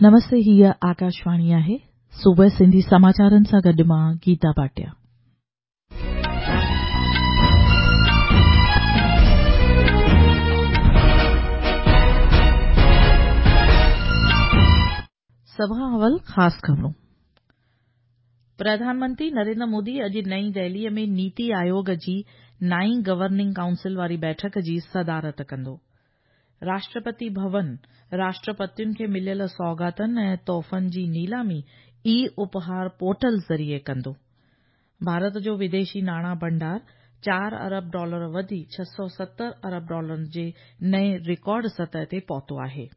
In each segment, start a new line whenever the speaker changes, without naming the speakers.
نمستي هيء آڪاشواڻي آهي صبح سنڌي سماچارن سان گڏ مان گيتا ڀاٽيا. سڀ کان اول خاص خبرون. پرڌان منتري نريندر مودي اڄ نئين دهليء ۾ نيتي آيوگ جي نائين گورننگ ڪائونسل واري بيٺڪ جي صدارت ڪندو. راشٽرپتي ڀون راشٽرپتين کي مليل سوغاتن ۽ تحفن جي نيلامي اي اپهار پورٽل ذريعي ڪندو. ڀارت جو وديشي ناڻا ڀنڊار 4 ارب ڊالر وڌي 670 ارب ڊالرن جي نئين رڪارڊ سطح تي پهتو آهي.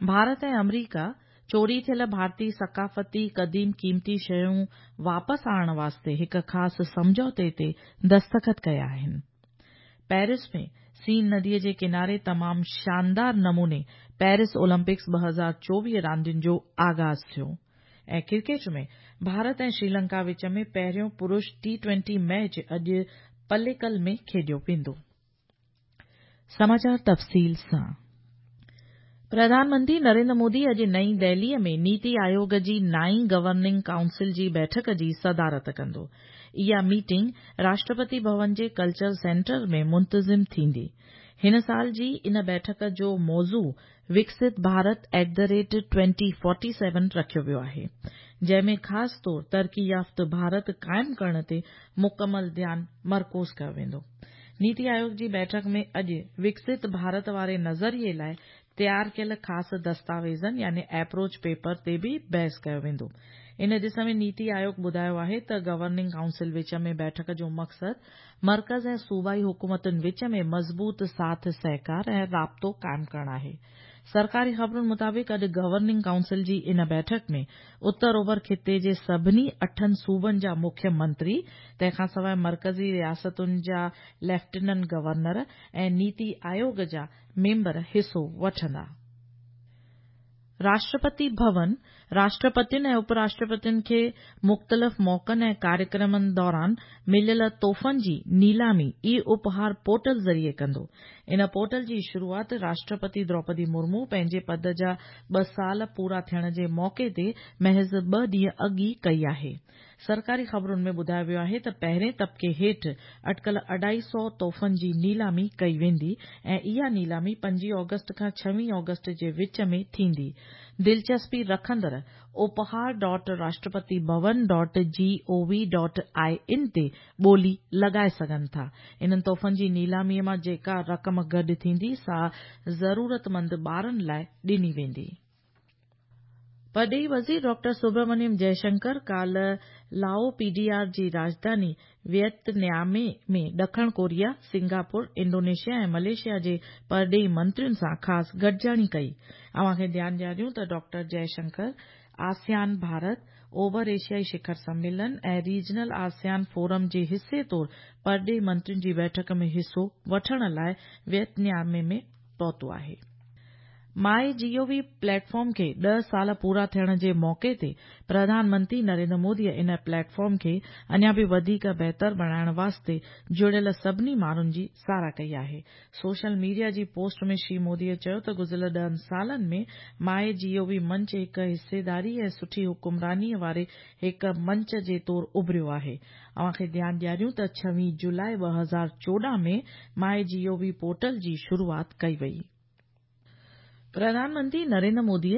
ڀارت ۽ آمريڪا چوري ٿيل ڀارتي ثقافتي قديم قيمتي شيون واپس آڻڻ واسطي هڪ خاص سمجهوتي تي دستخط ڪيا آهن. پيرس ۾ سين نديء جي ڪناري تمام شاندار نموني پيرس اولمپڪس 2024 راندين جو آغاز ٿيو ۽ ڪرڪيٽ ۾ ڀارت ۽ شريلنڪا وچ ۾ پهريون پرش ٽي ٽوئنٽي ميچ اڄ پليڪل ۾ کيڏيو ويندو. سماچار تفصيل سان پرڌان منتري نريندر مودي اڄ نئين دهليء ۾ نيتي آيوگ جي نائين گورننگ ڪائونسل جي بيٺڪ جي صدارت ڪندو. اها ميٽنگ راشٽرپتي ڀون جي ڪلچر سينٽر ۾ منتظم ٿيندي. هن سال جي ان بيٺڪ جو موضوع Viksit Bharat at the rate 2047 رکيو ويو آهي، جنهن ۾ خاص طور ترقي يافته ڀارت قائم ڪرڻ تي مڪمل ڌيان مرڪوز ڪيو ويندو. نيتي آيوگ جي بيٺڪ ۾ اڄ وڪست ڀارت واري نظريي لاء تيار ڪيل خاص دستاويزن يعني ايپروچ پيپر تي به بحث ڪيو ويندو. ان ڏس ۾ نيتي آيوگ ٻڌايو آهي ته گورننگ ڪائونسل وچ ۾ بيٺڪ جو مقصد مرڪز ۽ صوبائي حڪومتن وچ ۾ مضبوط ساٿ سهڪار ۽ رابطو قائم ڪرڻ آهي. سرڪاري خبرن مطابق اڄ گورننگ ڪائونسل جي ان بيٺڪ ۾ اتر اوڀر خطي جي سڀني اٺن صوبن جا مکيه منتري، تنهن کانسواء مرڪزي رياستن جا ليفٽيننٽ گورنر ۽ نيتي آيوگ جا ميمبر حصو وٺندا. راشٽرپتي ڀون راشٽرپتين ۽ اپ راشٽرپتين کي مختلف موقعن ۽ ڪاريڪرمن دوران مليل تحفن جي نيلامي اي اپهار پورٽل ذريعي ڪندو. ان پورٽل جي شروعات راشٽرپتي دروپدي مرمو پنهنجي پد جا ٻه سال پورا ٿيڻ جي موقعي تي محض ٻه ڏينهن اڳ ئي ڪئي آهي. سرڪاري خبرن ۾ ٻڌايو ويو آهي ته پهرين طبقي هيٺ اٽڪل اڍائي سئو تحفن جي نيلامي ڪئي ويندي ۽ اها نيلامي 25 آگسٽ کان 26 آگسٽ جي وچ ۾ ٿيندي. دلچسپي رکندڙ Uphaar dot Rashtrapati Bhavan dot G O V dot I N تي ٻولي لڳائي سگهن ٿا. انهن تحفن جي نيلامي مان جيڪا رقم گڏ ٿيندي سا ضرورتمند ٻارن لاء ڏني ويندي. پرڏيهي وزير ڊاڪٽر سبرامنيم جئشنڪر ڪالهه لائو پي ڊي آر جي راڄڌاني ويتنام ۾ ڏکڻ ڪوريا، سنگاپور، انڊونيشيا ۽ ملائيشيا جي پرڏيهي منترين سان خاص گڏجاڻي ڪئي. اوهان کي ڌيان ڏياريون ته ڊاڪٽر جئشنڪر آسيان ڀارت، اوڀر ايشيائي شکر سميلن ۽ ريجنل آسيان فورم جي حصي طور پرڏيهي منترين جي بيٺڪ ۾ حصو وٺڻ لاء ويتنام ۾ پهتو آهي. ماء جي او وي پليٽ فارم کي 10 سال پورا ٿيڻ جي موقعي تي پرڌان منتري نريندر مودي ان پليٽ فارم کي اڃا به وڌيڪ بهتر بڻائڻ واسطي جڙيل سڀني ماڻهن جي ساراهه ڪئي آهي. سوشل ميڊيا جي پوسٽ ۾ شري مودي چيو ته گذريل 10 سالن ۾ ماء جي او وي منچ هڪ حصيداري ۽ سٺي حڪمراني واري هڪ منچ جي طور اڀريو آهي. اوهان کي ڌيان ڏياريون ته 26 جولاء 2014 ۾ ماء جي او وي پورٽل جي شروعات ڪئي وئي. پرڌان منتري نريندر مودي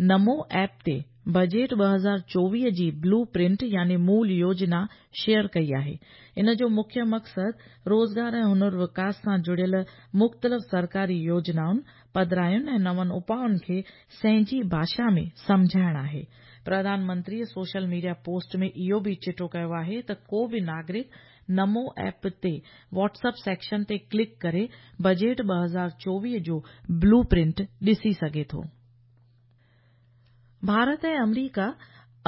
نمو ايپ تي بجيٽ 2024 جي بلو پرنٽ يعني مول يوجنا شيئر ڪئي آهي. ان جو مکيه مقصد روزگار ۽ هنر وڪاس سان جڙيل مختلف سرڪاري يوجنائن، پڌراين ۽ نون اپائن کي سهنجي ڀاشا ۾ سمجهائڻ آهي. Pradhan Mantri social media post ۾ اهو به چٽو ڪيو آهي ته ڪو به ناگرڪ نمو ايپ تي واٽس اپ سيڪشن تي ڪلڪ ڪري بجيٽ 2024 جو بلو پرنٽ ڏسي سگهي ٿو. ڀارت ۽ آمريڪا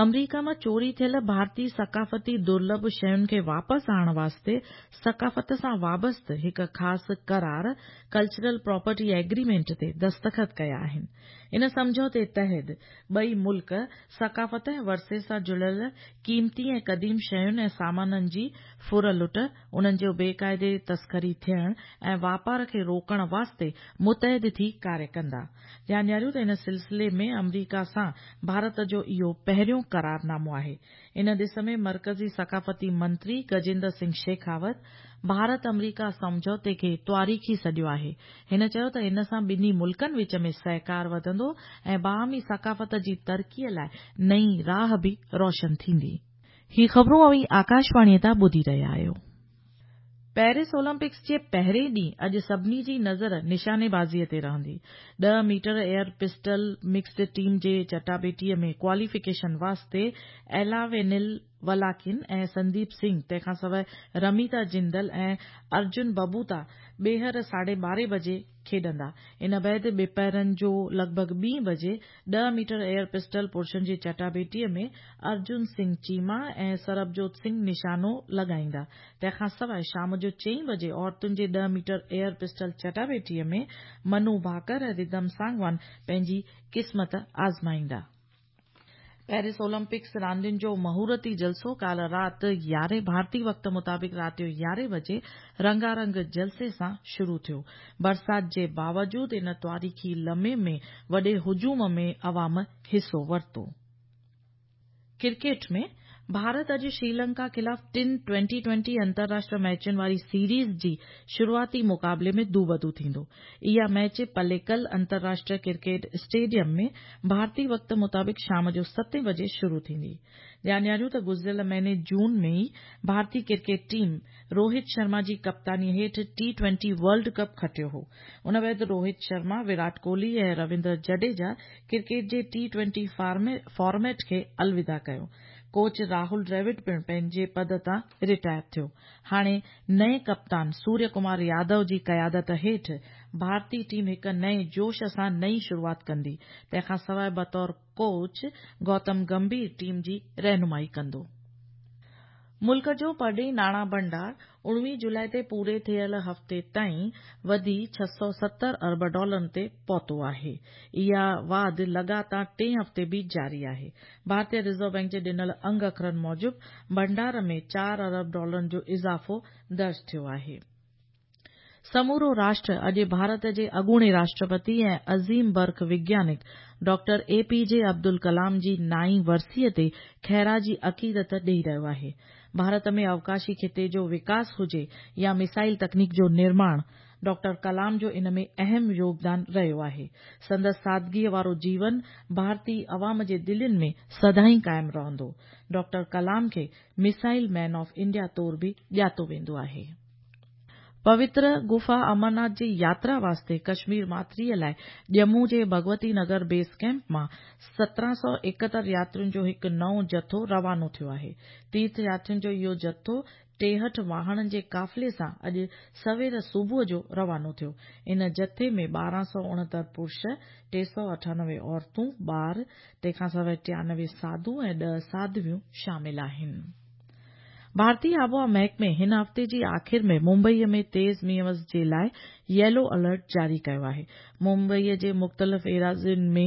آمريڪا مان چوري ٿيل ڀارتي ثقافتي درلڀ شين کي واپس آڻڻ واسطي ثقافت سان وابسته هڪ خاص قرار ڪلچرل پراپرٽي ايگريمينٽ تي دستخط ڪيا آهن. ان سمجهوتي تحت ٻئي ملڪ ثقافت ۽ ورثي سان جڙيل قيمتي ۽ قديم شين ۽ سامانن جي ڦر لٽ، انهن جو بيقاعدي تسڪري ٿيڻ ۽ واپار کي روڪڻ واسطي متحد ٿي ڪاريه ڪندا. ڌيان ڏياريون ته ان سلسلي ۾ آمريڪا سان ڀارت جو اهو پهريون قرارنامو آهي. ان ڏس ۾ مرڪزي ثقافتي منتري گجيندر سنگهه شيخاوت ڀارت آمريڪا سمجهوتي کي تواريخي سڏيو آهي. هن چيو ته ان سان ٻنهي ملڪن وچ ۾ سهڪار وڌندو ۽ باهمي ثقافت جي ترقي لاء نئين راهه به روشن ٿيندي. هي خبرون اوهين آڪاشواڻيء تان ٻڌي رهيا آهيو. پيرس اولمپڪس جي پهرين ڏينهن اڄ سڀني جي نظر نشاني بازيء تي رهندي. ڏهه metre air pistol mixed team جي چٽاڀيٽيء ۾ ڪواليفڪيشن واسطي ايلاوينل ولاڪين ۽ سنديپ سنگهه تنهن کانسواء رميتا جندل ۽ ارجن ببوتا ٻيهر ساڍي ٻارهين بجي کيڏندا. ان بعد ٻپهرن جو لڳ ڀڳ ٻين بجي ڏهه ميٽر ايئر پسٽل پرشن جي چٽاڀيٽيء ۾ ارجن سنگهه چيما ۽ سربجوت سنگهه نشانو لڳائيندا. تنهن کان سواء شام جو چئين بجي عورتن جي ڏهه ميٽر ايئر پسٽل چٽاڀيٽيء ۾ منو ڀاڪر ۽ ردم سانگوان پنهنجي قسمت آزمائيندا. پيرس اولمپڪس راندين جو مهورتي جلسو ڪالهه رات يارهين ڀارتي وقت مطابق رات جو يارهين بجي رنگا رنگ جلسي سان شروع ٿيو. برسات جي باوجود ان تواريخي لمحي ۾ وڏي هجوم ۾ عوام حصو ورتو. ڪرڪيٽ ۾ ڀارت اڄ شريلنڪا خلاف ٽن ٽوئنٽي ٽوئنٽي انترراشٽر ميچن واري سيريز جي شروعاتي مقابلي ۾ دوبدو ٿيندو. اها ميچ پليڪل انترراشٽر ڪرڪيٽ اسٽيڊيم ۾ ڀارتي وقت مطابق شام جو ستين بجي شروع ٿيندي. ڌيان ڏياريون ته گذريل مهيني جون ۾ ئي ڀارتي ڪرڪيٽ ٽيم روهت شرما جي ڪپتاني هيٺ ٽي ٽوئنٽي ورلڊ ڪپ کٽيو هو. ان بعد روهت شرما، ويرات ڪوهلي ۽ رويندر جڊيجا ڪرڪيٽ جي ٽي ٽوئنٽي فارميٽ کي الوداع ڪيو. ڪوچ راهول ڊريوڊ پڻ پنهنجي پد تان رٽائر ٿيو. هاڻي نئين ڪپتان سوريه ڪمار يادو جي قيادت هيٺ ڀارتي ٽيم هڪ نئين جوش سان نئين شروعات ڪندي. تنهن کان سواء بطور ڪوچ گوتم گمڀير ٽيم جي رهنمائي ڪندو. ملڪ جو پرڏيهي ناڻا ڀنڊار 19 جولاء تي پوري ٿيل هفتي تائين وڌي 670 ارب ڊالرن تي پهتو آهي. اها واڌ لڳاتار ٽئين هفتي به جاري آهي. ڀارتي رزرو بئنڪ جي ڏنل انگ اکرن موجب ڀنڊار ۾ 4 ارب ڊالرن جو اضافو درج ٿيو آهي. سمورو راشٽر اڄ ڀارت جي اڳوڻي راشٽرپتي ۽ عظيم برک وگيانڪ doctor A P J Abdul Kalam جي نائين ورسيء تي خراج عقيدت ڏئي رهيو آهي. ڀارت ۾ اوڪاشي خطي جو وڪاس هجي يا ميسائل تڪنيڪ جو نرماڻ، ڊاڪٽر ڪلام جو ان ۾ اهم يوگدان رهيو آهي. سندس سادگيء وارو جيون ڀارتي عوام جي دلين ۾ سدائين قائم رهندو. ڊاڪٽر ڪلام کي ميسائل مين آف انڊيا طور به ڄاتو ويندو آهي. پوتر گفا امرناٿ جي ياترا واسطي ڪشمير ماٿريء لاء ڄمون جي ڀڳوتي نگر بيس ڪئمپ مان 1771 ياترين جو هڪ نئون جٿو روانو ٿيو آهي. تيرٿ ياترين جو اهو جٿو 63 واهڻن جي قافلي سان اڄ سوير صبح جو روانو ٿيو. ان جٿي ۾ 1269 پرش، 398 عورتون، ٻار، تنهن کان سواء 93 ساڌو ۽ 10 ساڌويون شامل آهن. ڀارتي آبهوا محڪمي هن هفتي جي آخر ۾ ممبئي ۾ تيز مينهن وس جي لاء ييلو الرٽ جاري ڪيو آهي. ممبئي جي مختلف ايراضين ۾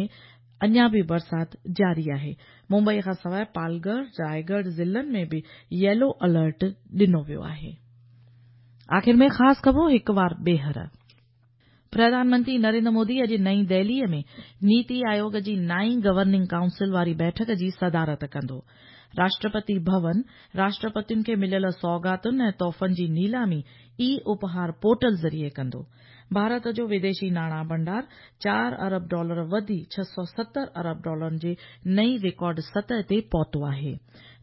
اڃا به برسات جاري آهي. ممبئي کان سواء پالگهر، رائيڳڙهه ضلعن ۾ به ييلو الرٽ ڏنو ويو آهي. آخر ۾ خاص خبرون هڪ وار ٻيهر. پرڌان منتري نريندر مودي اڄ نئين دهليء ۾ نيتي آيوگ جي نائين گورننگ ڪائونسل واري بيٺڪ جي صدارت ڪندو. راشٽرپتي ڀون راشٽرپتين کي مليل سوغاتن ۽ تحفن جي نيلامي اي اپهار پورٽل ذريعي ڪندو. ڀارت جو وديشي ناڻا ڀنڊار 4 ارب ڊالر وڌي 670 ارب ڊالرن جي نئين رڪارڊ سطح تي پهتو آهي.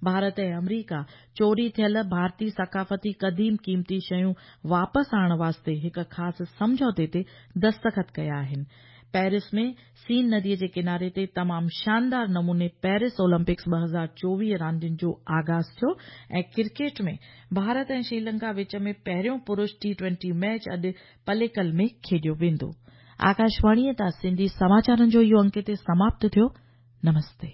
ڀارت ۽ آمريڪا چوري ٿيل ڀارتي ثقافتي قديم قيمتي شيون واپس آڻڻ واسطي هڪ خاص سمجهوتي تي دستخط ڪيا آهن. پيرس ۾ سين نديء جي ڪناري تي تمام شاندار نموني پيرس اولمپڪس 2024 راندين جو آغاز ٿيو ۽ ڪرڪيٽ ۾ ڀارت ۽ شريلنڪا وچ ۾ پهريون پرش ٽي ٽوئنٽي ميچ اڄ پليڪل ۾ کيڏيو ويندو. آڪاشواڻيء تان سنڌي سماچارن جو اهو انڪ هتي سماپت ٿيو. نمستي.